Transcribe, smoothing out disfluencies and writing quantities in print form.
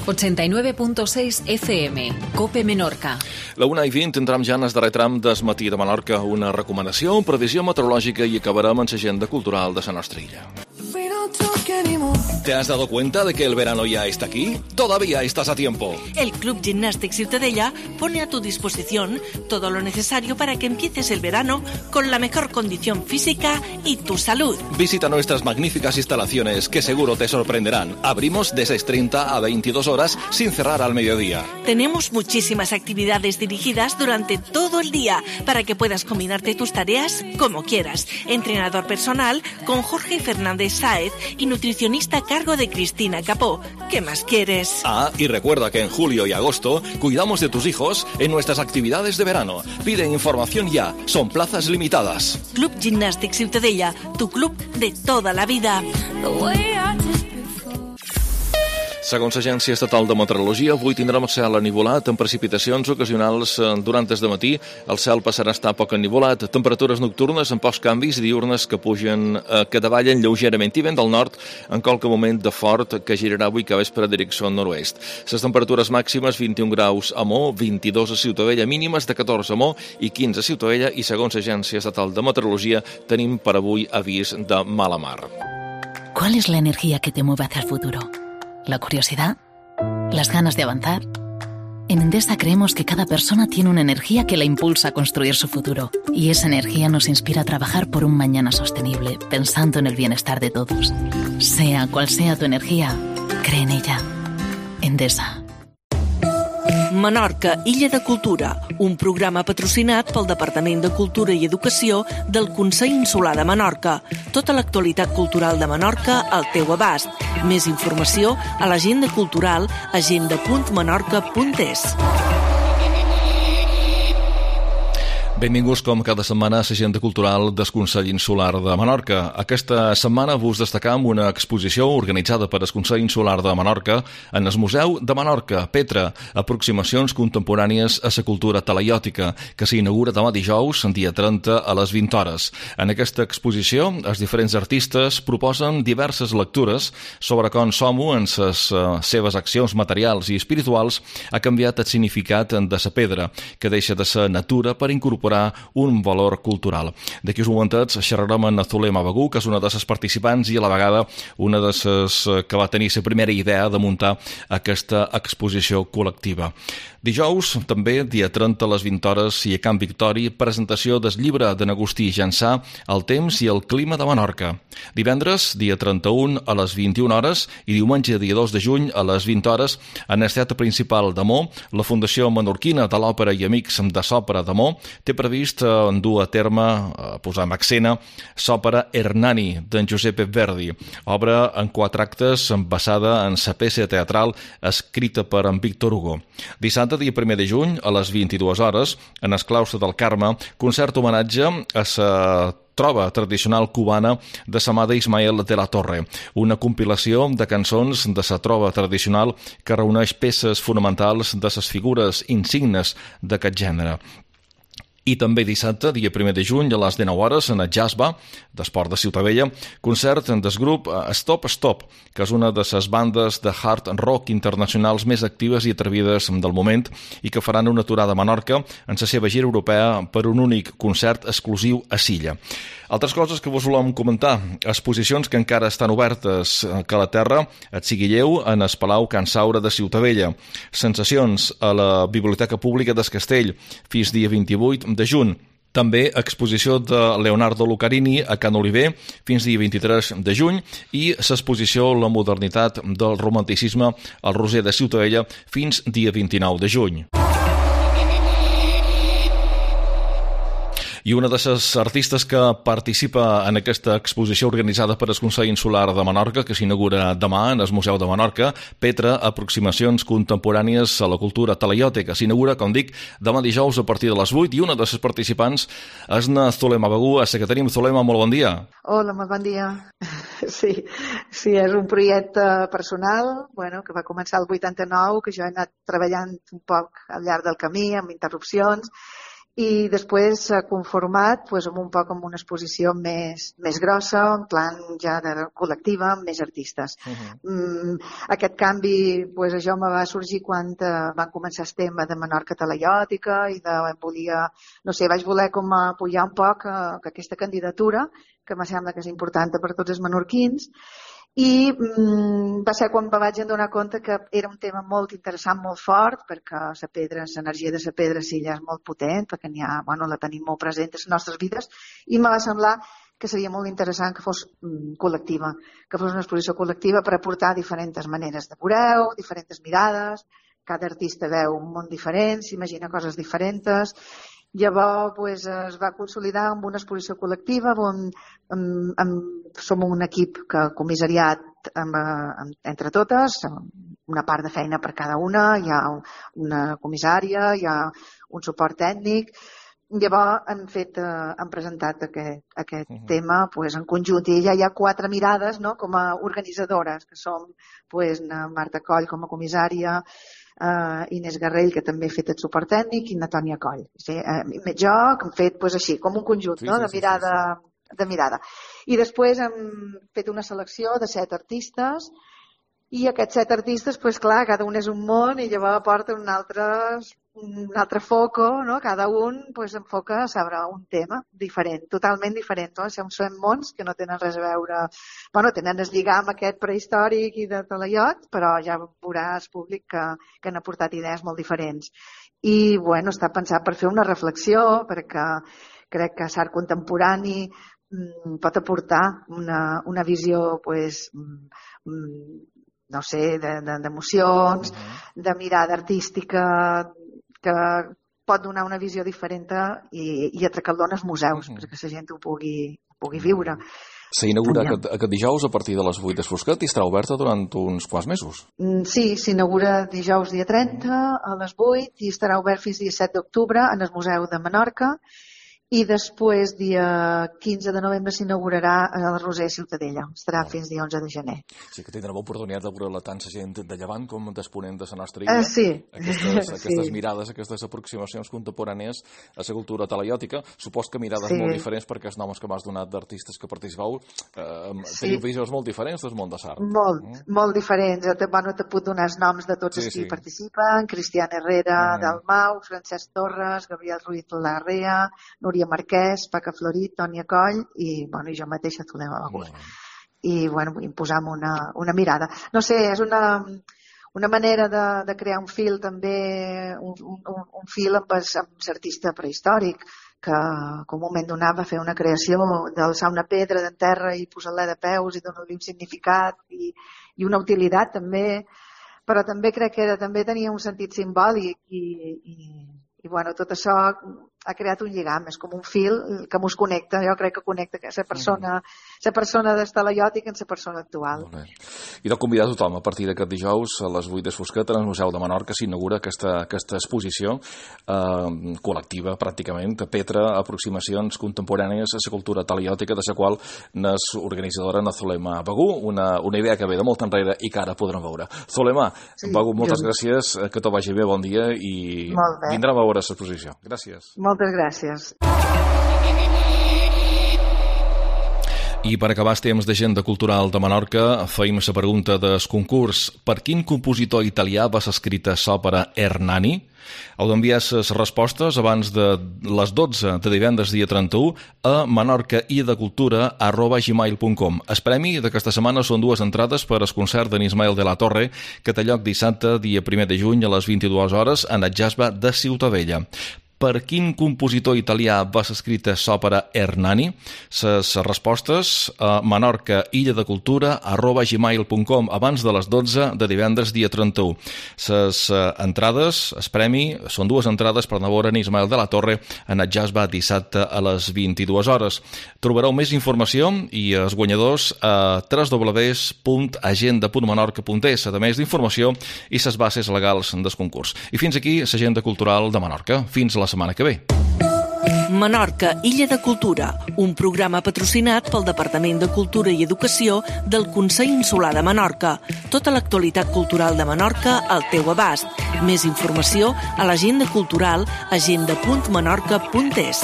89.6 FM, COPE Menorca. La 1:20 entrem ja en el darrer tram del matí de Menorca, una recomanació, previsió meteorològica i acabarem amb l'agenda cultural de la nostra illa. ¿Te has dado cuenta de que el verano ya está aquí? Todavía estás a tiempo. El Club Gimnàstic Ciutadella pone a tu disposición todo lo necesario para que empieces el verano con la mejor condición física y tu salud. Visita nuestras magníficas instalaciones que seguro te sorprenderán. Abrimos de 6:30 a 22 horas sin cerrar al mediodía. Tenemos muchísimas actividades dirigidas durante todo el día para que puedas combinarte tus tareas como quieras. Entrenador personal con Jorge Fernández Sáez y nutricionista a cargo de Cristina Capó. ¿Qué más quieres? Ah, y recuerda que en julio y agosto cuidamos de tus hijos en nuestras actividades de verano. Pide información ya, son plazas limitadas. Club Gimnàstic Ciutadella, tu club de toda la vida. Segons l'Agència Estatal de Meteorologia, avui tindrem el cel enivolat amb precipitacions ocasionals durant el matí. El cel passarà a estar poc enivolat, temperatures nocturnes amb pocs canvis i diurnes que davallen lleugerament i vent del nord en qualque moment de fort que girarà avui que vespre a direcció nord-oest. Les temperatures màximes 21 graus a Mo, 22 a Ciutadella, mínimes de 14 a Mo i 15 a Ciutadella i segons l'Agència Estatal de Meteorologia tenim per avui avís de mala mar. ¿Cuál es la energía que te mueve hacia el futuro? ¿La curiosidad? ¿Las ganas de avanzar? En Endesa creemos que cada persona tiene una energía que la impulsa a construir su futuro. Y esa energía nos inspira a trabajar por un mañana sostenible, pensando en el bienestar de todos. Sea cual sea tu energía, cree en ella. Endesa. Menorca, Illa de Cultura, un programa patrocinat pel Departament de Cultura i Educació del Consell Insular de Menorca. Tota l'actualitat cultural de Menorca al teu abast. Més informació a l'agenda cultural agenda.menorca.es. Benvinguts com cada setmana a l'agenda cultural del Consell Insular de Menorca. Aquesta setmana vos destacam una exposició organitzada per el Consell Insular de Menorca en el Museu de Menorca, Petra, aproximacions contemporànies a la cultura talaiòtica, que s'inaugura demà dijous, dia 30, a les 20 hores. En aquesta exposició, els diferents artistes proposen diverses lectures sobre com som-ho en les seves accions materials i espirituals ha canviat el significat de la pedra, que deixa de ser natura per incorporar un valor cultural. D'aquí uns momentets xerrarem amb Zulema Bagú, que és una de les participants i a la vegada una de les que va tenir la primera idea de muntar aquesta exposició col·lectiva. Dijous, també, dia 30 a les 20 hores i a Camp Victori, presentació del llibre de n'Agustí Jansà, El temps i el clima de Menorca. Divendres, dia 31 a les 21 hores i diumenge, dia 2 de juny a les 20 hores, en el teatre principal de Mo, la Fundació Menorquina de l'Òpera i Amics de l'Òpera de Mo té previst dur a terme, posar en escena, l'òpera Hernani, d'en Giuseppe Verdi, obra en 4 actes basada en la peça teatral escrita per en Víctor Hugo. Dissabte, dia 1 de juny, a les 22 hores, en el claustre del Carme, concert homenatge a la trova tradicional cubana de sa mà d'Ismael de la Torre, una compilació de cançons de sa trova tradicional que reuneix peces fonamentals de les figures insignes d'aquest gènere. I també dissabte, dia 1 de juny, a les 19 hores, en el Jazzba, d'Esport de Ciutadella, concert del grup Stop Stop, que és una de les bandes de hard rock internacionals més actives i atrevides del moment i que faran una aturada a Menorca en la seva gira europea per un únic concert exclusiu a Silla. Altres coses que vos volem comentar, exposicions que encara estan obertes que a la terra, et Siguilleu, en el Palau Can Saura de Ciutadella, sensacions a la Biblioteca Pública del Castell, fins dia 28 de juny. També exposició de Leonardo Lucarini a Can Oliver fins dia 23 de juny i l'exposició La modernitat del romanticisme al Roser de Ciutadella fins dia 29 de juny. I una de les artistes que participa en aquesta exposició organitzada per el Consell Insular de Menorca, que s'inaugura demà en el Museu de Menorca, Petra, aproximacions contemporànies a la cultura talaiòtica. S'inaugura, com dic, demà dijous a partir de les 8 i una de les participants és na Zulema Bagú, a la que tenim. Zulema, molt bon dia. Hola, molt bon dia. Sí, és un projecte personal, que va començar el 89, que jo he anat treballant un poc al llarg del camí, amb interrupcions, i després s'ha conformat amb un poc amb una exposició més grossa, en plan ja de col·lectiva, amb més artistes. Aquest canvi, això me va sorgir quan van començar el tema de Menorca talaiòtica i vaig voler com apoyar un poc aquesta candidatura, que me sembla que és important per tots els menorquins, i va ser quan me vaig adonar compte que era un tema molt interessant, molt fort, perquè l'energia de la pedra sí ja és molt potent, perquè la tenim molt present en les nostres vides, i me va semblar que seria molt interessant que fos col·lectiva, que fos una exposició col·lectiva per aportar diferents maneres de veure, diferents mirades, cada artista veu un món diferent, s'imagina coses diferents. Llavors es va consolidar amb una exposició col·lectiva on som un equip que comissariat entre totes, una part de feina per cada una, hi ha una comissària, hi ha un suport tècnic. Llavors han presentat aquest tema en conjunt i ja hi ha 4 mirades com a organitzadores, que som Marta Coll com a comissària, Inés Garrell, que també ha fet el suport tècnic, i Natònia Coll. Jo que hem fet així, com un conjunt de mirada. I després hem fet una selecció de 7 artistes, i aquests 7 artistes, clar, cada un és un món i llavors aporta un altre foco, cada un enfoca sobre un tema diferent, totalment diferent. Són mons que no tenen res a veure, tenen el lligam aquest prehistòric i de talaiot, però ja veuràs públic que han aportat idees molt diferents. I està pensat per fer una reflexió, perquè crec que l'art contemporani pot aportar una visió no sé, d'emocions, de mirada artística, que pot donar una visió diferent i atracar-lo als museus, perquè la gent ho pugui viure. S'inaugura aquest dijous a partir de les 8 de Fosquet i estarà oberta durant uns quants mesos. Sí, s'inaugura dijous dia 30 a les 8 i estarà obert fins dia 7 d'octubre en el Museu de Menorca. I després, dia 15 de novembre, s'inaugurarà a la Roser Ciutadella. Estarà fins dia 11 de gener. Sí que tindrem l'oportunitat de veure tant la gent de Llevant com d'exponent de la nostra illa. Sí. Aquestes mirades, aquestes aproximacions contemporànies a la cultura talaiòtica. Supos que mirades molt diferents, perquè els noms que m'has donat d'artistes que participeu teniu visions molt diferents del món de l'art. Molt diferents. Te puc donar els noms de tots els que hi participen. Cristian Herrera, Dalmau, Francesc Torres, Gabriel Ruiz Larrea, Núria Marquès, Paca Florit, Tònia Coll i jo mateixa, Zulema Bagús. I imposam una mirada. No sé, és una manera de crear un fil també, un fil amb l'artista prehistòric, que en un moment donat va fer una creació d'alçar una pedra d'en terra i posar-la de peus i donar-li un significat i una utilitat també, però també crec que també tenia un sentit simbòlic i tot això ha creat un lligam, és com un fil que mos connecta, jo crec que connecta la persona d'Estalaiòtic amb la persona actual. I de convidar tothom, a partir d'aquest dijous a les 8 de Fosquet, al Museu de Menorca s'inaugura aquesta exposició col·lectiva, pràcticament, de Petra, aproximacions contemporànies a la cultura talaiòtica, de la qual n'és organitzadora Zulema Bagú, una idea que ve de molt enrere i que ara podrem veure. Zulema, Bagú, moltes gràcies, que tot vagi bé, bon dia, i vindrem a veure l'exposició. Gràcies. Moltes gràcies. I per acabar el temps d'agenda cultural de Menorca, feim la pregunta del concurs: per quin compositor italià va ser escrita l'òpera Hernani? Heu d'enviar les respostes abans de les 12 de divendres dia 31 a menorcaiddecultura@gmail.com. El premi d'aquesta setmana són 2 entrades per al concert d'en Ismael de la Torre, que té lloc dissabte, dia 1 de juny, a les 22 hores, en el Jasba de Ciutadella. Per quin compositor italià va ser escrita l'òpera Hernani? Les respostes a menorcaiddecultura@gmail.com abans de les 12 de divendres dia 31. Les entrades, el premi, són 2 entrades per anar a veure en Ismael de la Torre en el Jasba dissabte a les 22 hores. Trobareu més informació i els guanyadors a www.agenda.menorca.es, a més d'informació i les bases legals del concurs. I fins aquí l'agenda cultural de Menorca. Fins la setmana que ve. Menorca, Illa de Cultura, un programa patrocinat pel Departament de Cultura i Educació del Consell Insular de Menorca. Tota l'actualitat cultural de Menorca al teu abast. Més informació a l'agenda cultural agenda.menorca.es.